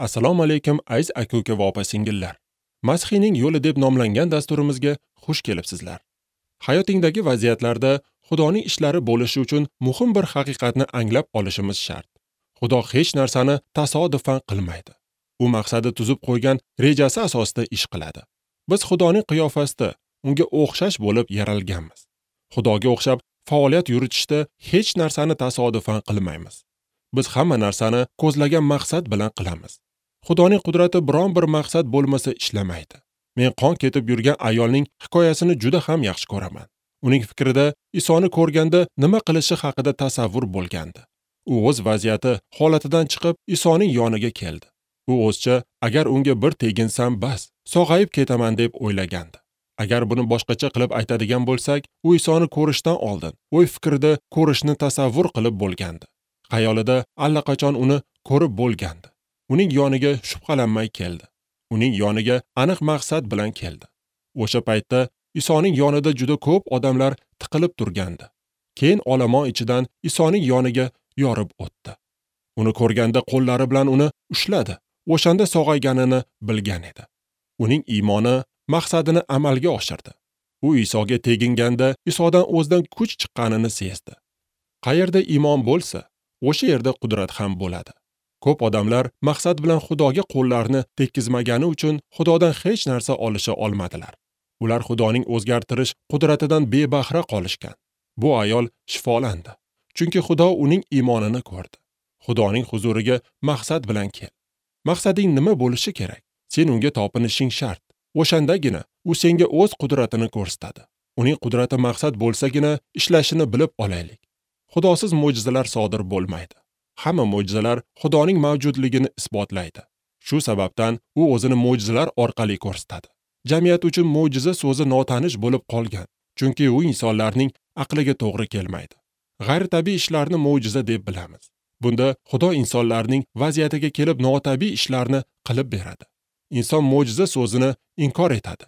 Assalomu alaykum aziz aka-uka va opa-singillar. Masihiyning yo'li deb nomlangan dasturimizga xush kelibsizlar. Hayotingdagi vaziyatlarda Xudoning ishlari bo'lishi uchun muhim bir haqiqatni anglab olishimiz shart. Xudo hech narsani tasodifan qilmaydi. U maqsadi tuzib qo'ygan rejasi asosida ish qiladi. Biz Xudoning qiyofasida unga o'xshash bo'lib yaralganmiz. Xudoga o'xshab faoliyat yuritishda hech narsani tasodifan qilmaymiz. Biz hamma narsani ko'zlagan maqsad bilan qilamiz. Xudoning qudrati biron bir maqsad bo'lmasa ishlamaydi. Men qon ketib yurgan ayolning hikoyasini juda ham yaxshi ko'raman. Uning fikrida Isoni ko'rganda nima qilishi haqida tasavvur bo'lgandi. U o'z vaziyati, holatidan chiqib Isoning yoniga keldi. U o'zcha agar unga bir teginsam bas, sog'ayib ketaman deb o'ylagandi. Agar buni boshqacha qilib aytadigan bo'lsak, u Isoni ko'rishdan oldin o'y fikrida ko'rishni tasavvur qilib bo'lgandi. Xayolida allaqachon uni ko'rib bo'lgandi. Uning yoniga shubhalanmay keldi. Uning yoniga aniq maqsad bilan keldi. O'sha paytda Isoning yonida juda ko'p odamlar tiqilib turgandi. Keyin olomon ichidan Isoning yoniga yorib o'tdi. Uni ko'rganda qo'llari bilan uni ushladi. O'shanda sog'ayganini bilgan edi. Uning iymoni maqsadini amalga oshirdi. U Isoga teginganda Isodan o'zidan kuch chiqqanini sezdi. Qayerda iymon bo'lsa, o'sha yerda qudrat ham bo'ladi. Ko'p odamlar maqsad bilan Xudoga qo'llarini tekkizmagani uchun Xudodan hech narsa olisha olmadilar. Ular Xudoning o'zgartirish qudratidan bebahra qolishgan. Bu ayol shifolandi. Chunki Xudo uning iymonini ko'rdi. Xudoning huzuriga maqsad bilan kel. Maqsading nima bo'lishi kerak? Sen unga topinishing shart. O'shandagina u senga o'z qudratini ko'rsatadi. Uning qudrati maqsad bo'lsagina ishlashini bilib olaylik. Xudosiz mo'jizalar sodir bo'lmaydi. Hamma mo'jizalar Xudoning mavjudligini isbotlaydi. Shu sababdan u o'zini mo'jizalar orqali ko'rsatadi. Jamiyat uchun mo'jiza so'zi notanish bo'lib qolgan, chunki u insonlarning aqliga to'g'ri kelmaydi. G'ayritabiiy ishlarni mo'jiza deb bilamiz. Bunda Xudo insonlarning vaziyatiga kelib notabiiy ishlarni qilib beradi. Inson mo'jiza so'zini inkor etadi.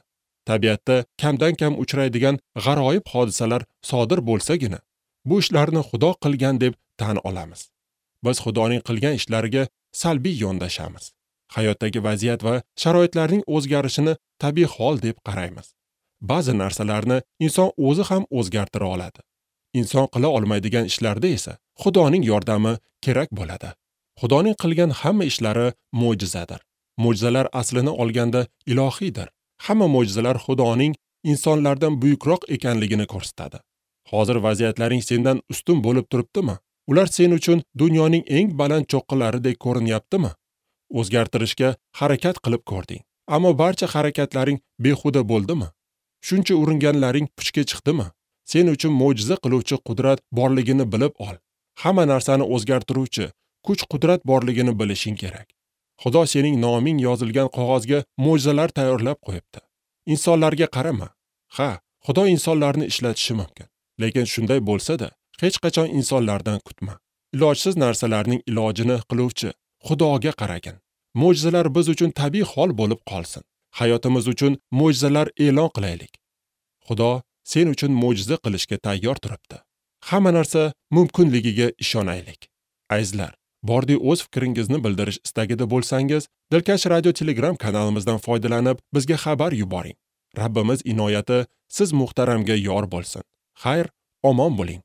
Tabiatda kamdan-kam uchraydigan g'aroyib hodisalar sodir bo'lsagina, bu ishlarni Xudo qilgan deb tan olamiz. Biz Xudoning qilgan ishlariga salbiy yondashamiz. Hayotdagi vaziyat va sharoitlarning o'zgarishini tabiiy hol deb qaraymiz. Ba'zi narsalarni inson o'zi ham o'zgartira oladi. Inson qila olmaydigan ishlarda esa Xudoning yordami kerak bo'ladi. Xudoning qilgan hamma ishlari mo'jizadir. Mo'jizalar aslini olganda ilohiydir. Hamma mo'jizalar Xudoning insonlardan buyukroq ekanligini ko'rsatadi. Hozir vaziyatlaring sendan ustun bo'lib turibdimi? Ular sen uchun dunyoning eng baland cho'qqilaridek ko'rinyaptimi? O'zgartirishga harakat qilib ko'rding, ammo barcha harakatlaring behuda bo'ldimi? Shuncha uringanlaring puchga chiqdimi? Sen uchun mo'jiza qiluvchi qudrat borligini bilib ol. Hamma narsani o'zgartiruvchi kuch-qudrat borligini bilishing kerak. Xudo sening noming yozilgan qog'ozga mo'jizalar tayyorlab qo'yibdi. Insonlarga qarama. Ha, Xudo insonlarni ishlatishi mumkin. Lekin shunday bo'lsa-da, hech qachon insonlardan kutma. Ilojsiz narsalarning ilojini qiluvchi Xudoga qaragin. Mo'jizalar biz uchun tabiiy hol bo'lib qolsin. Hayotimiz uchun mo'jizalar e'lon qilaylik. Xudo sen uchun mo'jiza qilishga tayyor turibdi. Hamma narsa mumkinligiga ishonaylik. Azizlar, bordi o'z fikringizni bildirish istagida bo'lsangiz, Dilkash Radio Telegram kanalimizdan foydalanib bizga xabar yuboring. Rabbimiz inoyati siz muhtaramga yor bo'lsin. Xayr, omon bo'ling.